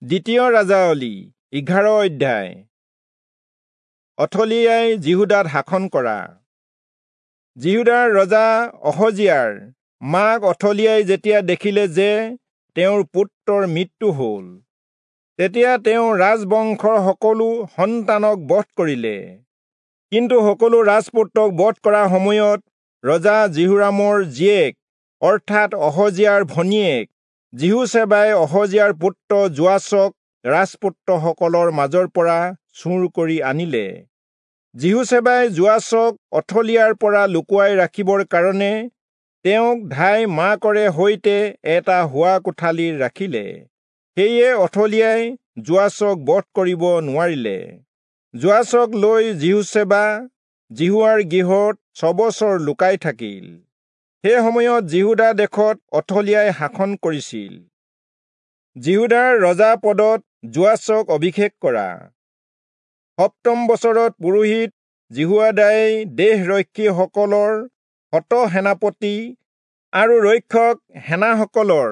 দ্বিতীয় ৰাজাৱলী 11 অধ্যায়। অথলিয়াই যিহূদাত শাসন কৰা। যিহূদাৰ ৰজা অহজিয়াৰ মাক অথলিয়াই যেতিয়া দেখিলে যে তেওঁৰ পুত্ৰৰ মৃত্যু হ'ল, তেতিয়া তেওঁ ৰাজবংশৰ সকলো সন্তানক বধ কৰিলে। কিন্তু সকলো ৰাজপুত্ৰক বধ কৰা সময়ত ৰজা যিহোৰামৰ জীয়েক অৰ্থাৎ অহজিয়াৰ ভনীয়েক যিহোচেবাই অহজিয়াৰ পুত্ৰ যোৱাচক ৰাজপুত্ৰসকলৰ মাজৰ পৰা চুৰ কৰি আনিলে। যিহোচেবাই যোৱাচক অথলিয়াৰ পৰা লুকুৱাই ৰাখিবৰ কাৰণে তেওঁক ধাই মাকৰে সৈতে এটা শোৱা কোঠালিত ৰাখিলে। সেয়ে অথলিয়াই যোৱাচক বধ কৰিব নোৱাৰিলে। যোৱাচক লৈ যিহোচেবা যিহোৱাৰ গৃহত 6 বছৰ লুকাই থাকিল। সেই সময়ত যিহূদা দেশত অথলিয়াই শাসন কৰিছিল। যিহূদাৰ ৰজা পদত যোৱাচক অভিষেক কৰা। 7ম বছৰত পুৰোহিত যিহোয়াদাই দেশৰক্ষীসকলৰ শত সেনাপতি আৰু ৰক্ষক সেনাসকলৰ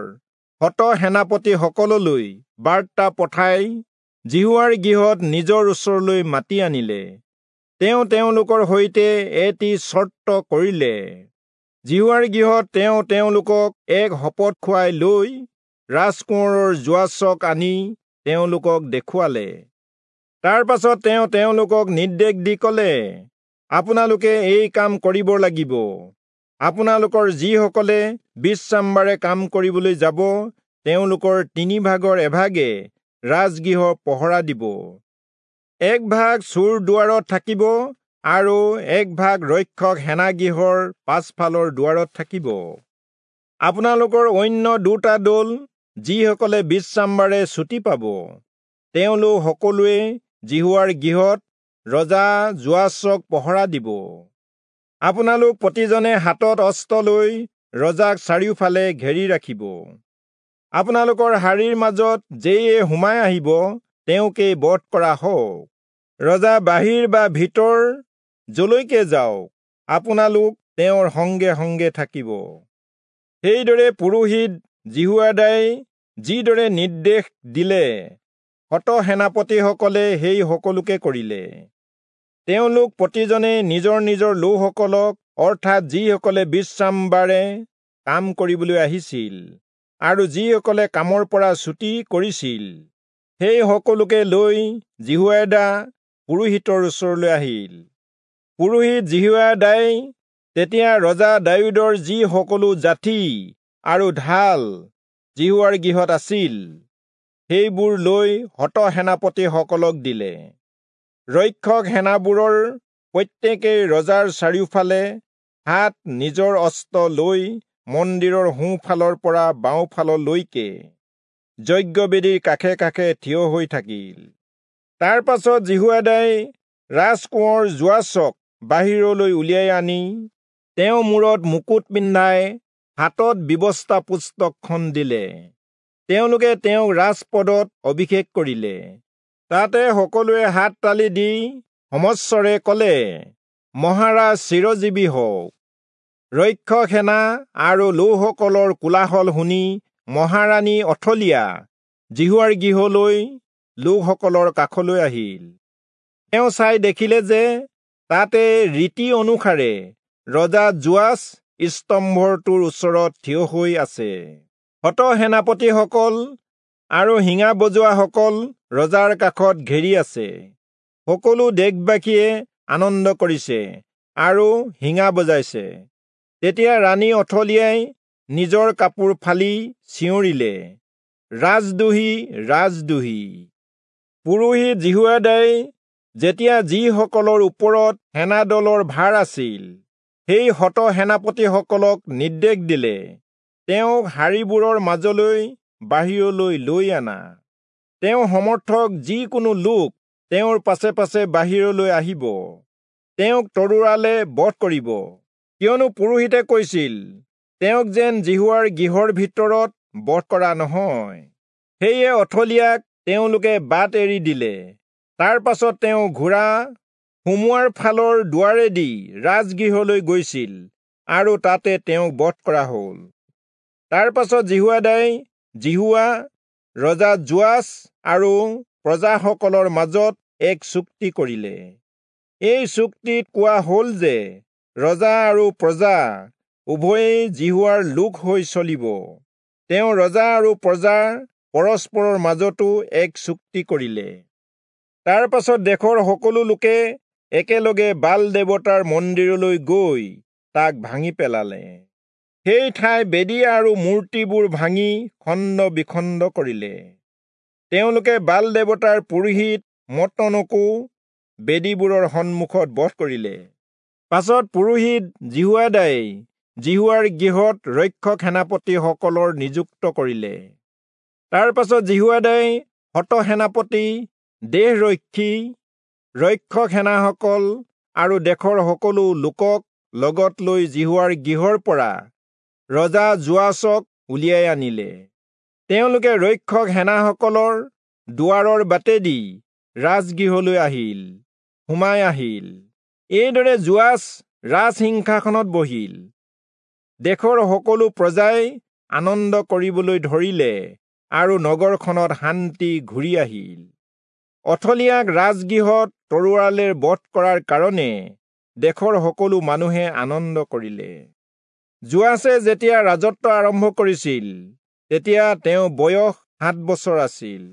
শত সেনাপতিসকললৈ বাৰ্তা পঠাই যিহোৱাৰ গৃহত নিজৰ ওচৰলৈ মাতি আনিলে। তেওঁ তেওঁলোকৰ সৈতে এটি চৰ্ত কৰিলে। যিহোৱাৰ গৃহত তেওঁ তেওঁলোকক এক শপত খুৱাই লৈ ৰাজকোঁৱৰৰ যোৱাচক আনি তেওঁলোকক দেখুৱালে। তাৰ পাছত তেওঁ তেওঁলোকক নিৰ্দেশ দি ক'লে, আপোনালোকে এই কাম কৰিব লাগিব। আপোনালোকৰ যিসকলে বিশ্ৰামবাৰে কাম কৰিবলৈ যাব, তেওঁলোকৰ 3 ভাগৰ এভাগে ৰাজগৃহ পহৰা দিব। এক ভাগ চোৰ দুৱাৰত থাকিব আৰু এক ভাগ ৰক্ষক সেনাগৃহৰ পাছফালৰ দুৱাৰত থাকিব। আপোনালোকৰ অন্য 2টা দল যিসকলে বিশ্ৰামবাৰে ছুটি পাব, তেওঁলোক সকলোৱে যিহোৱাৰ গৃহত ৰজা যোৱাচক পহৰা দিব। আপোনালোক প্ৰতিজনে হাতত অস্ত্ৰ লৈ ৰজাক চাৰিওফালে ঘেৰি ৰাখিব। আপোনালোকৰ শাৰীৰ মাজত যেয়ে সোমাই আহিব, তেওঁকেই বধ কৰা হওক। ৰজা বাহিৰ বা ভিতৰ যলৈকে যাওক, আপোনালোক তেওঁৰ সংগে সংগে থাকিব। সেইদৰে পুৰোহিত যিহোয়াদাই যিদৰে নিৰ্দেশ দিলে, শত সেনাপতিসকলে সেই সকলোকে কৰিলে। তেওঁলোক প্ৰতিজনে নিজৰ নিজৰ লোকসকলক অৰ্থাৎ যিসকলে বিশ্ৰামবাৰে কাম কৰিবলৈ আহিছিল আৰু যিসকলে কামৰ পৰা ছুটি কৰিছিল, সেই সকলোকে লৈ যিহোয়াদা পুৰোহিতৰ ওচৰলৈ আহিল। পুৰোহিত যিহোয়াদাই তেতিয়া ৰজা দায়ূদৰ যি সকলো যাঠি আৰু ঢাল যিহোৱাৰ গৃহত আছিল, সেইবোৰ লৈ শত সেনাপতিসকলক দিলে। ৰক্ষক সেনাবোৰৰ প্ৰত্যেকেই ৰজাৰ চাৰিওফালে হাত নিজৰ অস্ত্ৰ লৈ মন্দিৰৰ সোঁফালৰ পৰা বাওঁফাললৈকে যজ্ঞবেদীৰ কাষে কাষে থিয় হৈ থাকিল। তাৰ পাছত যিহোয়াদাই ৰাজকোঁৱৰ যোৱাচক বাহিৰলৈ উলিয়াই আনি তেওঁ মূৰত মুকুট পিন্ধাই হাতত ব্যৱস্থা পুস্তকখন দিলে। তেওঁলোকে তেওঁক ৰাজপদত অভিষেক কৰিলে। তাতে সকলোৱে হাত তালি দি সমস্বৰে ক'লে, মহাৰাজ চিৰজীৱী হওক। ৰক্ষক সেনা আৰু লোকসকলৰ কোলাহল শুনি মহাৰাণী অথলিয়া যিহোৱাৰ গৃহলৈ লোকসকলৰ কাষলৈ আহিল। তেওঁ চাই দেখিলে যে তাতে ৰীতি অনুসাৰে ৰজা যোৱাচ স্তম্ভটোৰ ওচৰত থিয় হৈ আছে। শত সেনাপতিসকল আৰু শিঙা বজোৱাসকল ৰজাৰ কাষত ঘেৰি আছে। সকলো দেশবাসীয়ে আনন্দ কৰিছে আৰু শিঙা বজাইছে। তেতিয়া ৰাণী অথলিয়াই নিজৰ কাপোৰ ফালি চিঞৰিলে, ৰাজদ্ৰোহী, ৰাজদ্ৰোহী। পুৰোহিত যিহোয়াদাই যেতিয়া যিসকলৰ ওপৰত সেনাদলৰ ভাৰ আছিল, সেই শত সেনাপতিসকলক নিৰ্দেশ দিলে, তেওঁক শাৰীবোৰৰ মাজলৈ বাহিৰলৈ লৈ আনা। তেওঁ সমৰ্থক যিকোনো লোক তেওঁৰ পাছে পাছে বাহিৰলৈ আহিব, তেওঁক তৰোৱালে বধ কৰিব। কিয়নো পুৰোহিতে কৈছিল, তেওঁক যেন যিহোৱাৰ গৃহৰ ভিতৰত বধ কৰা নহয়। সেয়ে অথলিয়াক তেওঁলোকে বাট এৰি দিলে। তাৰ পাছত তেওঁ ঘোঁৰা সোমোৱাৰ ফালৰ দুৱাৰেদি ৰাজগৃহলৈ গৈছিল আৰু তাতে তেওঁক বধ কৰা হ'ল। তাৰ পাছত যিহোয়াদাই যিহোৱা, ৰজা যোৱাচ আৰু প্ৰজাসকলৰ মাজত এক চুক্তি কৰিলে। এই চুক্তিত কোৱা হ'ল যে ৰজা আৰু প্ৰজা উভয়েই যিহোৱাৰ লোক হৈ চলিব। তেওঁ ৰজা আৰু প্ৰজাৰ পৰস্পৰৰ মাজতো এক চুক্তি কৰিলে। তাৰ পাছত দেশৰ সকলো লোকে একেলগে বাল দেৱতাৰ মন্দিৰলৈ গৈ তাক ভাঙি পেলালে। সেই ঠাই বেদী আৰু মূৰ্তিবোৰ ভাঙি খণ্ড বিখণ্ড কৰিলে। তেওঁলোকে বাল দেৱতাৰ পুৰোহিত মত্তনকো বেদীবোৰৰ সন্মুখত বধ কৰিলে। পাছত পুৰোহিত যিহোয়াদাই যিহোৱাৰ গৃহত ৰক্ষক সেনাপতিসকলৰ নিযুক্ত কৰিলে। তাৰ পাছত যিহোয়াদাই শত সেনাপতি, দেশৰক্ষী, ৰক্ষক সেনাসকল আৰু দেশৰ সকলো লোকক লগত লৈ যিহোৱাৰ গৃহৰ পৰা ৰজা যোৱাচক উলিয়াই আনিলে। তেওঁলোকে ৰক্ষক সেনাসকলৰ দুৱাৰৰ বাটেদি ৰাজগৃহলৈ আহিল, সোমাই আহিল। এইদৰে যোৱাচ ৰাজসিংহাসনত বহিল। দেশৰ সকলো প্ৰজাই আনন্দ কৰিবলৈ ধৰিলে আৰু নগৰখনত শান্তি ঘূৰি আহিল। অথলিয়াক ৰাজগৃহত তৰোৱালেৰে বধ কৰাৰ কাৰণে দেশৰ সকলো মানুহে আনন্দ কৰিলে। যোৱাচে যেতিয়া ৰাজত্ব আৰম্ভ কৰিছিল, তেতিয়া তেওঁ বয়স 7 বছৰ আছিল।